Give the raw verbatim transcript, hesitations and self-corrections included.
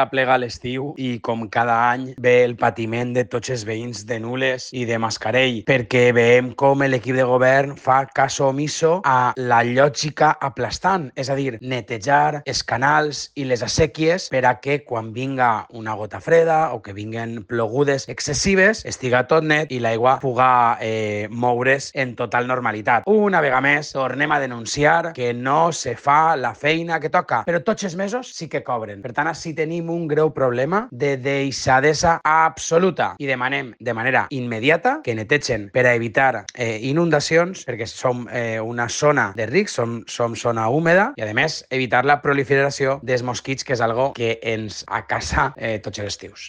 Aplega l'estiu i com cada any ve el patiment de tots els veïns de Nules i de Mascarell, perquè veiem com l'equip de govern fa caso omiso a la lògica aplastant, és a dir, netejar els canals i les assèquies per a que quan vinga una gota freda o que vinguen plogudes excessives estiga tot net i l'aigua puga eh, moure's en total normalitat. Una vegada més tornem a denunciar que no se fa la feina que toca, però tots els mesos sí que cobren. Per tant, així tenim un greu problema de deixadesa absoluta i demanem de manera immediata que netegen per a evitar eh, inundacions, perquè som eh, una zona de risc, som, som zona húmeda i, a més, evitar la proliferació dels mosquits, que és algo que ens acasa eh, tots els estius.